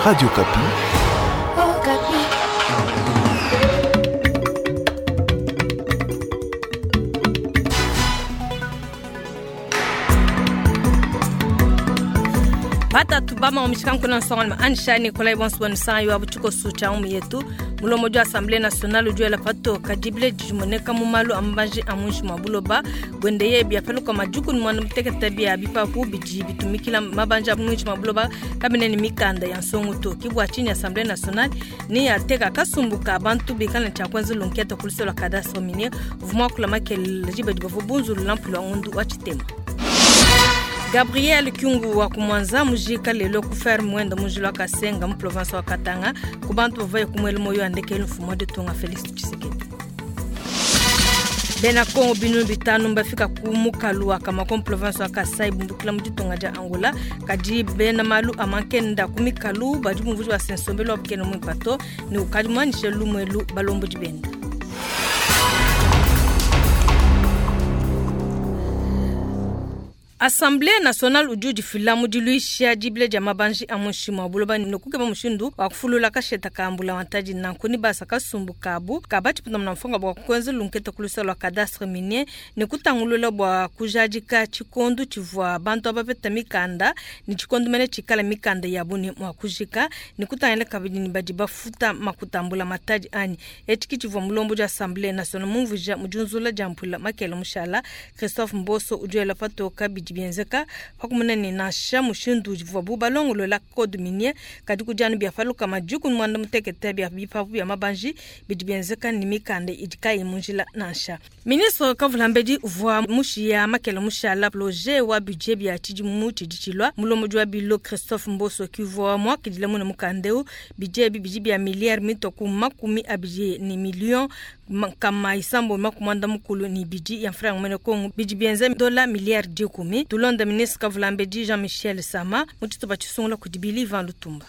Radio Okapi. Okapi. Batatu bama omishikanku na nsongalima anisha Nikolai bonso sanga yo abuchiko sucha umu yetu mulomo jo Assemblée nationale ujuela pato kadibile jimoneka mu malu ambaji amunshi mwa buloba gwende ye bya peluka majuku ni mwana mutekete bya bipapu biji bitumikila mabanja amunshi mwa buloba kabine ni mikanda ya nsongo to kibwa chini Assemblée nationale ni yateka kasumbuka abantu bikana cha kwanza lunketa kulisola cadastre minier vumwa kula makele jibe dibovu bunzu lampu ngundu wa chitema. Gabriel Kyungu wa kumwanza mujika lelo ku ferme mwenda mujilo wa Kasenga mu province wa Katanga ku bantu bavaye kumwele moyo andekele mfumo de tonga Felix Tshisekedi. Bena Kongo binu bitanu mbafika ku mukalu wa Kamako mu province wa Kasai bumbukila mu ditunga dia Angola kadi bena malu amankenda ku mikalu badi bumvuji wa sensombelo wa bukene mu ipato ni ukadi mwanishe lumwelu balombo dibenda. Assemblée nationale udi udifila mu diluisha dibile dia mabanji a munshi mua buloba ne kukeba mushindu wa kufulula kasheta ka mbula wantadi nanku ni basa kasumbu kabu ka batshipunda muna mfonga bua kuenza lunketa ku lua cadastre minier ne kutangulula bua kujadika tshikondu tshivua bantu aba bapeta mikanda ne tshikondu mene tshikala mikanda yabu ne mua kujika ne kutangila kabidi ne badi bafuta makutambula matadi anyi etshi ki tshivua mulombo dia Assemblée nationale mumvuija mu diunzula dia mpula makele mushala Christophe Mboso udi patoka bidi bienzeka pakumuna ne nansha mushindu uvuabu balongolola code minier kadi kudianu bia paluka majuku mwanda mutekete bia bipapu bia mabanji bidi bienzeka ni mikanda idi kayi mu njila nansha. Ministre Kavulambedi uvua mushiya makele mushala projet wa budget bia tshidimu tshidi tshilua mulombodi wa bilo Christophe Mboso kivua muakidile muna mukandeu budget ebi bidi bia milliard mitoku makumi abidi ni million kama isambo makumanda mukulu ni bidi ya franc mwene Kongo bidi bienza dola milliard dikumi. Tulonda ministre Kavulambedi Jean-Michel Sama mutituba tshisungula kudi Billy Van Lutumba.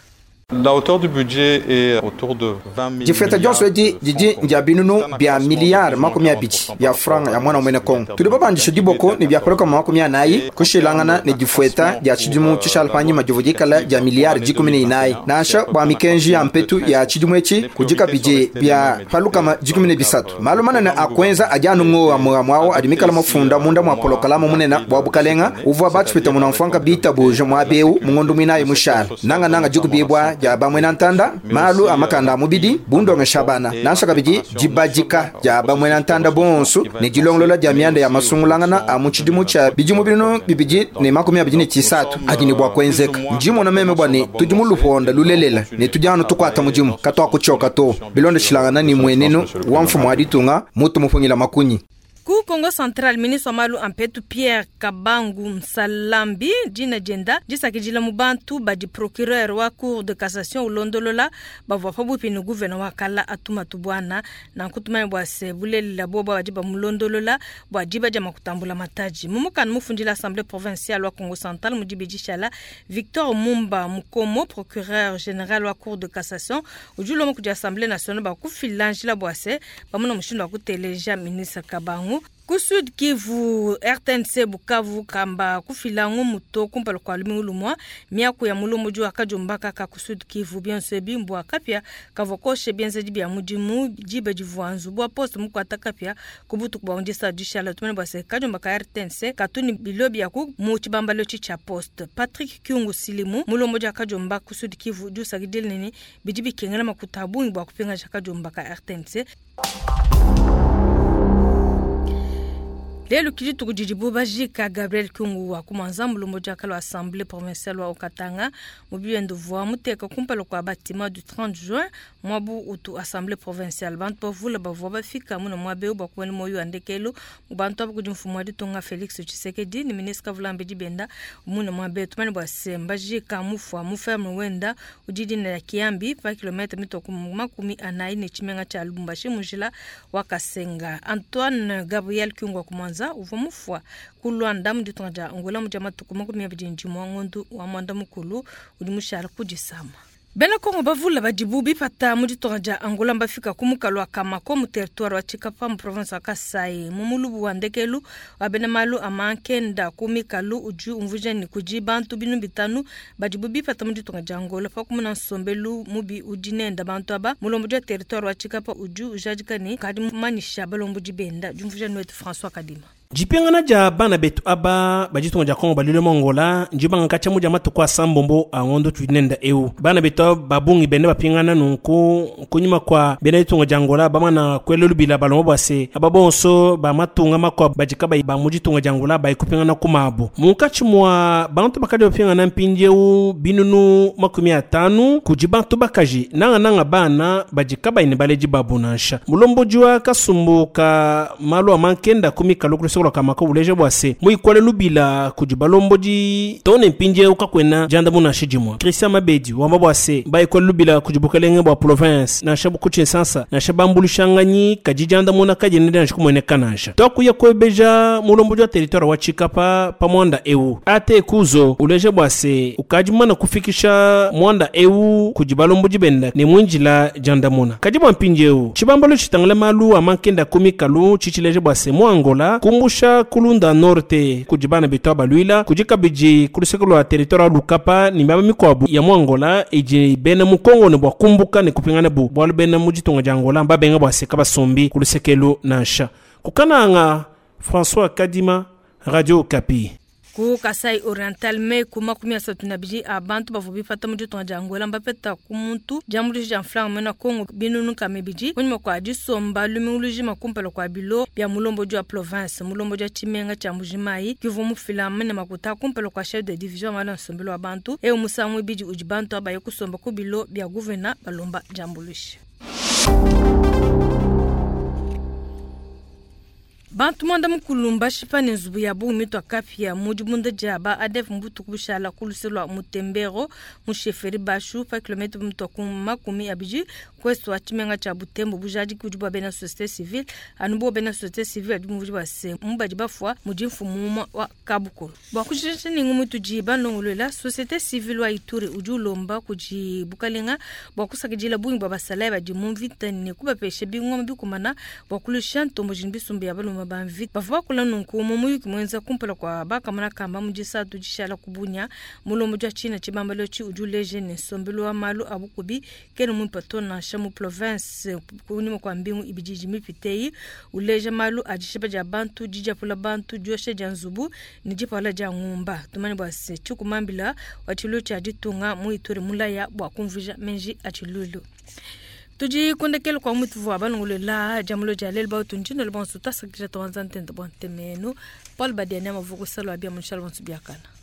La hauteur du budget est autour de 20 000 Difeta dionso edi didi ndia binunu bia miliyari makumi abidi ya franga ya mwana mwene Kongo. Tudi babandisha diboko ne bia peluka makumi anayi kushilangana ne difueta dia tshidimu tshishala panyima divu dikala dia miliyari dikumi ne inayi. Nansha bua mikenji ya mpetu ya tshidimu etshi kudika bidi bia palukama dikumi ne bisatu. Malu manene a kuenza adi anu ngowa muamu adi mikala mafunda munda mua polokalamu munene bua bukalenga uvua batshipeta muna mfuanka bitabuja mua beu mungondo muinayi mushala. Nanga nanga dikubibua dia bamwena ntanda malu amakanda amubidi bundonge shabana nansha kabidi dibadika dia bamwena ntanda bonso ne dilongolola dia mianda ya masungulangana a mu tshidimu tshia bidimu bino bibidi ne makumi abidi ne tshisatu adi ne bua kuenzeka. Ndimona meme bua ne tudi mu luponda lulelela ne tudi anu tukuata mudimu katuakutshoka to bilondeshilangana ne muenenu wa mfumu wa ditunga mutu mupungila makunyi. Ku Kongo Central, ministre wa malu ampetu Pierre Kabangu Nsalambi dina dienda disakidila mu bantu badi procureur wa cour de cassation ulondolola bavua pabuipi ne gouverneur wa kala Atuma Tubwana na nkutumanya bua se bulelela bobo badi bamulondolola bua diba dia makutambula mataji. Mumukana mufundila assemblée provinciale wa Kongo Central mu dibidi shala Victor Mumba Mukomo procureur général wa cour de cassation udi ulomba kudi assemblée nationale bakufila njila bua se bamuna mushindu wa kuteleja ministre Kabangu. Ku Sud Kivu RTNC Bukavu kamba kufila ngumuto kumpala kwa lumingu lumwa miaku ya mulombo wa kajombaka ka ku Sud Kivu bionso bimbwa kapya kavokoshe bienzedi bia mudimu dibe divuanzu bua poste mukwata kapya kubutu kwa ondisa dishala tumene bwa se kajomba ka RTNC katuni bilo bia ku mu chibambalo cha poste. Patrick Kyungu Silimu mulombo wa kajomba ku Sud Kivu jusagidile nini bidi bikengela makuta bungi bwa kupinga kajomba ka RTNC. Lelo kidi tukudidibu bajika Gabriel Kyungu wa kumanza mulombo dia kala assemblée provinciale wa Okatanga mubiendo voa muteka kumpala kwa bâtiment du 30 juin mwabu utu assemblée provinciale bantu bavula bavua bafika muna mwabe bwa kuwena moyo andekelo bantu abo kudi mfumu wa ditunga Felix Tshisekedi ni ministre Kavulambedi Benda muna mwabe tumane bwa semba jika mufwa muferme wenda udidi na Kiambi pa kilomita mitoku makumi anayi ne chimenga cha Lubumbashi mujila wa Kasenga. Antoine Gabriel Kyungu wa kumanza uvua mufwa ku Luanda mu ditunga dia Angola mu dia matuku makumi abidi ne dimue ngondu wa mwanda mukulu udi mushala ku disama. Bena Kongo bavule badibu bipata mu ditunga dia Angola mbafika ku mukalu wa Kamako mu territoire wa Tshikapa mu province wa Kasai. Mu mulubu wa ndekelu wa bena malu a mankenda ku mikalu udi umvuija ne kudi bantu binunu bitanu badibu bipata mu ditunga dia Angola pa kumona nsombelu mubi udi nenda bantu aba. Mulombodi wa territoire wa Tshikapa udi ujadika ne kadi mumanyisha balombodi benda. Diumvuija ne wetu François Kadima. Dipingana dia bana betu aba ba ditunga dia Kongo baluile mu Angola ndibanga katshia mu dia matuku asambombo a ngondo tudi nenda eu. Bana betu aba ba bungi benda bapingana nunku kunyima kua bena ditunga dia Angola bamana kuela lubila balomba bua se aba bonso ba matunga makuabu badi kabayi ba mu ditunga dia Angola baye kupingana ku mabu. Munkatshi mua bantu bakadi bapingana mpindieu binunu 50 kudi bantu bakaji, nangananga bana badi kabayi ne baledi babu nansha. Mulombodi wa kasumbu ka malu a mankenda ku mikalu ku luseke lua Kamako uleja bua se, muikole lubila kudi balombodi too ne mpindieu kakuena diandamuna nansha dimue. Christian Mabedi wamba bua se, baikole lubila kudi bukelenge bua province nansha ku Tshinsansa nansha bambuluishanganyi, kadi diandamuna kadiena dianji kumueneka nansha. Tuakuya kuebeja mulombodi wa territoire wa Tshikapa pa muanda eu. AT Kuzo uleja bua se, ukadi mumana kufikisha muanda eu kudi balombodi benda ne muindila diandamuna. Kadi bua mpindieu, tshibambalu tshitangila malu a mankenda ku mikalu tshitshileja bua se, mu Angola, kumbusha ku Lunda Norte kudi bana betu aba baluila, kudi kabidi ku luseke lua territoire wa Lucapa ne miaba mikuabu ya mu Angola idi bena mu Congo ne bua kumbuka ne kupingana bu bualu bena mu ditunga dia Angola mbabenga bua se kabasombi ku luseke elu nansha. Ku Kananga, François Kadima, Radio Okapi. Ku Kasai Oriental, meku 32 a bantu bavua bipata mu ditunga dia Angola mbapeta ku muntu diambuluisha dia mfranga muena Congo binunu 200 kunyima kua disomba lumingu lujima kumpala kua bilo bia mulombodi wa province. Mulombodi wa tshimenga tshia Mbuji-Mayi ke uvua mufila mene makuta kumpala kua chef de division wa malu a nsombelu wa bantu. Eu musangu muibidi udi bantu aba baya kusomba ku bilo bia gouvena balomba diambuluisha. Bantu muanda mukulu mbashipa ne nzubu ya bungi mitua kapia mu dibunda dia ba ADF mu butuku bushala ku luse lua Mutembero mu chefferie Bashu pa kilometre mutua ku 20 ku est wa tshimenga tshia Butembo. Bujadiki budi bua bena societe civile anu bo bena societe civile badi bumvuija bua se mu badi bafua mudi mfumu umue wa kabukulu. Bua kujikija ne ngumu itudi balongoluela, societe civile wa Ituri udi ulomba kudi bukalenga bua kusakidila bungi bua basalayi badi mu mvita ne kubapesha bingoma bikumana bua kuluisha ntomboji ne bisumbu bia balume ba mvita. Bavua bakula nunku mu muyuki muenza kumpala kua bakamona kamba mu disatu dishala ku Bunia. Mulombodi wa tshina tshibambalu etshi udi uleja ne, nsombelu wa malu a bukubi kena muimpe to nansha mu province kunyima kua mbingu ibidi idi mipite eyi, uleja malu a dishipa dia bantu, didiapula bantu, diosha dia nzubu ne dipawula dia ngumba. Tumanye bua se, tshikumambila wa tshiluilu tshia ditunga mu Ituri mulaya bua kumvuija menji a tshiluilu. Tudi ku ndekelu kua mutuvua balongolola diamulo dia lelu bautu ndinolo bonso tuasakidila tuanza ntenta bua ntemenu Paul Badiania mavuku salwa bia munshala bonso biakana.